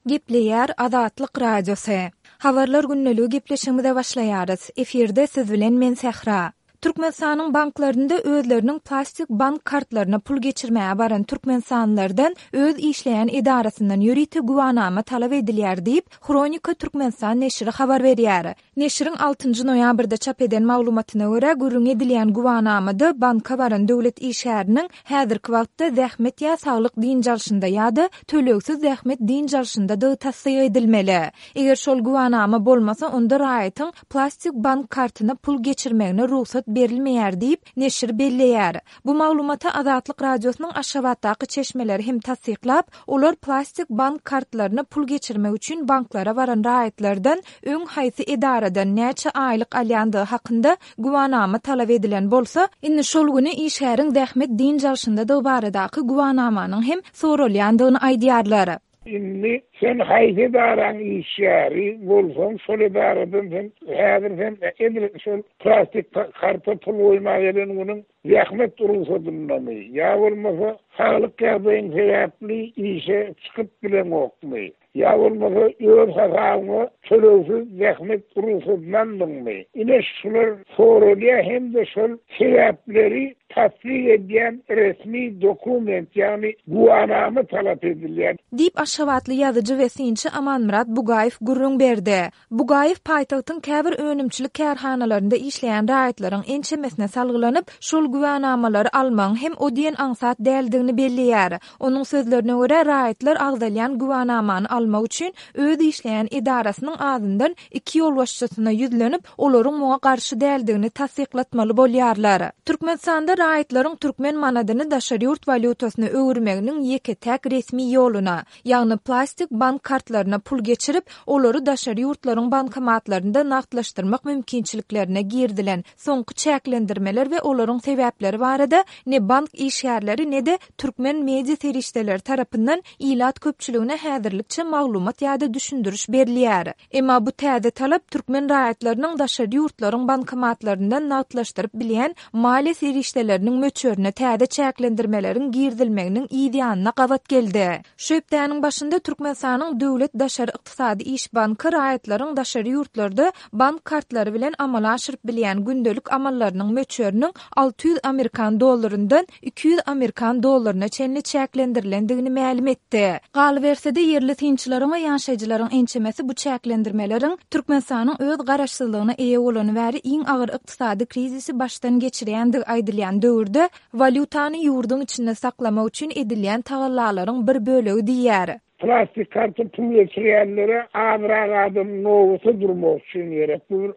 Gepleýär Azatlyk Radiosy. Habarlar gündeligi gepleşigimize başlaýarys. Efirde siz bilen men Sähra. Türkmenistanyň banklarynda özleriniň plastik bank kartlaryna pul geçirmäge baran türkmenistanlylardan öz işleýän edarasyndan ýörite güwanama talap edilýär diýip, Hronika Türkmenistan neşiri habar berýär. Neşiriň altynjy noýabrda çap eden maglumatyna görä, gürrüňi edilýän güwanamada banka baran döwlet işgäriniň häzirki wagtda zähmet ýa saglyk dynç alşynda ýa-da tölegsiz zähmet dynç alşyndadygy tassyk edilmeli. Eger şol güwanama bolmasa, onda raýatyň plastik bank kartyna pul geçirmegine rugsat berilmeýär diýip, neşir belleýär. Bu maglumaty Azatlyk Radiosynyň Aşgabatdaky çeşmeleri hem tassyklap, olar plastik bank kartlaryna pul geçirmek üçin banklara baran raýatlardan öň haýsy edaradan näçe aýlyk alýandygy hakynda güwanama talap edilen bolsa, indi şol güni işgäriň zähmet dynç alşyndadygy baradaky güwanamanyň hem soralýandygyny aýdýarlar. Indi sen haýsy edaraň işgäri bolsaň, şol edaradan sen häzir sen edil şol plastik karta pul goýmaga gelen günüň zähmet rugsadyndamy ýa bolmasa saglyk ýagdaýyň sebäpli işe çykyp bileňokmy ýa bolmasa öz hasabyňa tölegsiz zähmet rugsadyny aldyňmy? Ine şular soralýar hem-de şol sebäpleri tassyk edýän resmi dokument, ýagny güwanama talap edilýär. Diýip, aşgabatly ýazyjy we synçy Amanmyrat Bugaýew gürrüň berdi. Bugaýew paýtagtyň käbir önümçilik kärhanalarynda işleýän raýatlaryň ençemesine salgylanyp, şol güwänamalary almagyň hem o diýen aňsat däldigini belleýär. Onuň sözlerine görä, raýatlar agzalýan güwänamany almak üçin öz işleýän edarasynyň azyndan iki ýolbaşçysyna ýüzlenip, olaryň muňa garşy däldigini tassyklatmaly bolýarlar. Türkmenistanda raýatlaryň türkmen manadyny daşary ýurt walýutasyna öwürmeginiň ýeke-täk resmi ýoluna, ýagny plastik bank kartlaryna pul geçirip, olary daşary ýurtlaryň bankomatlarynda nagtlaşdyrmak mümkinçiliklerine girizilen soňky çäklendirmeler we olaryň sebäpleri barada ne bank işgärleri, ne-de türkmen media serişdeleri tarapyndan ilat köpçüligine häzirlikçe maglumat ýa-da düşündiriş berilýär. Emma bu täze talap türkmen raýatlarynyň daşary ýurtlaryň bankomatlaryndan nagtlaşdyryp bilýän maliýe serişdeleriniň möçberine täze çäklendirmeleriň girizilmeginiň yz ýanyna gabat geldi. Şu hepdäniň başynda Türkmenistanyň Döwlet daşary ykdysady iş banky raýatlaryň daşary ýurtlarda bank kartlary bilen amala aşyryp bilýän gündelik amallarynyň möçberiniň 600 amerikan dollaryndan 200 amerikan dollaryna çenli çäklendirilendigini mälim etdi. Galyberse-de, ýerli synçylaryň we ýaşaýjylaryň ençemesi bu çäklendirmeleriň Türkmenistanyň öz garaşsyzlygyna eýe bolany bäri iň agyr ykdysady krizisi başdan geçirýändigi aýdylýan döwürde walýutany ýurduň içinde saklamak üçin edilýän tagallalaryň bir bölegi diýýär. Plastik karta pul geçirýänlere azrak adam nobata durmak üçin gerek. Bu bir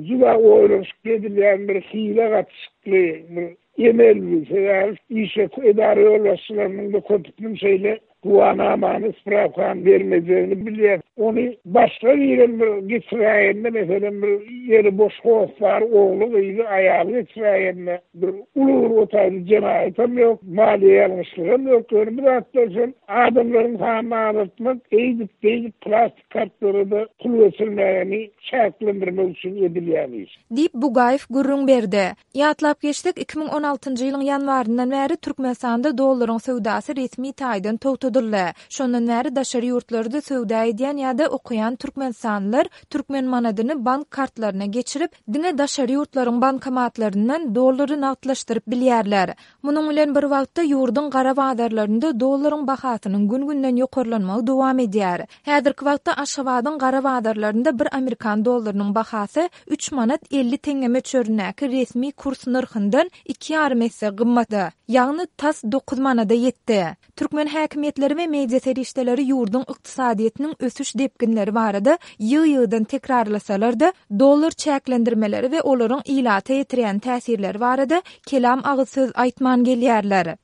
juda oýlanyşykly edilýän bir hile gatyşykly bir Emel bu, sebäbi işe edara ýolbaşçylarynyň-da köpüsiniň şeýle güwanamany, sprawkany bermejegini bilýär. Ony başga birem bir geçiräýende, meselem, bir ýeri boş hossary, ogly, gyzy, aýaly geçiräýende, bir uly bir o taýda jenaýatam ýok, maliýe ýalňyşlygam ýok. Ýöne bu zatlar şol adamlaryň sanyny azaltmak, eýdip-beýdip plastik kartlara-da pul geçirmägeni çäklendirmek üçin edilýän iş. Diýip, Bugaýew gürrüň berdi. Ýatlap geçsek, 2016-njy ýylyň ýanwaryndan bäri Türkmenistanda dollaryň söwdasy resmi taýdan togtadyldy. Şondan bäri daşary ýurtlarda söwda edýän ýa-da okaýan türkmenistanlylar türkmen manadyny bank kartlaryna geçirip, diňe daşary ýurtlaryň bankomatlaryndan dollary nagtlaşdyryp bilýärler. Munuň bilen bir wagtda, ýurduň gara bazarlarynda dollaryň bahasynyň gün-günden ýokarlanmagy dowam edýär. Häzirki wagtda Aşgabadyň gara bazarlarynda bir amerikan dollarynyň bahasy üç manat 50 teňňe möçberindäki resmi kurs nyrhyndan iki ýarym esse gymmata, ýagny tas dokuz manada ýetdi. Türkmen häkimiýetleri we media serişdeleri ýurduň ykdysadyýetiniň ösüş depginleri barada ýygy-ýygydan tekrarlasalar-da, dollar çäklendirmeleri we olaryň ilata ýetirýän täsirleri barada kelam agyz söz aýtman gelýärler.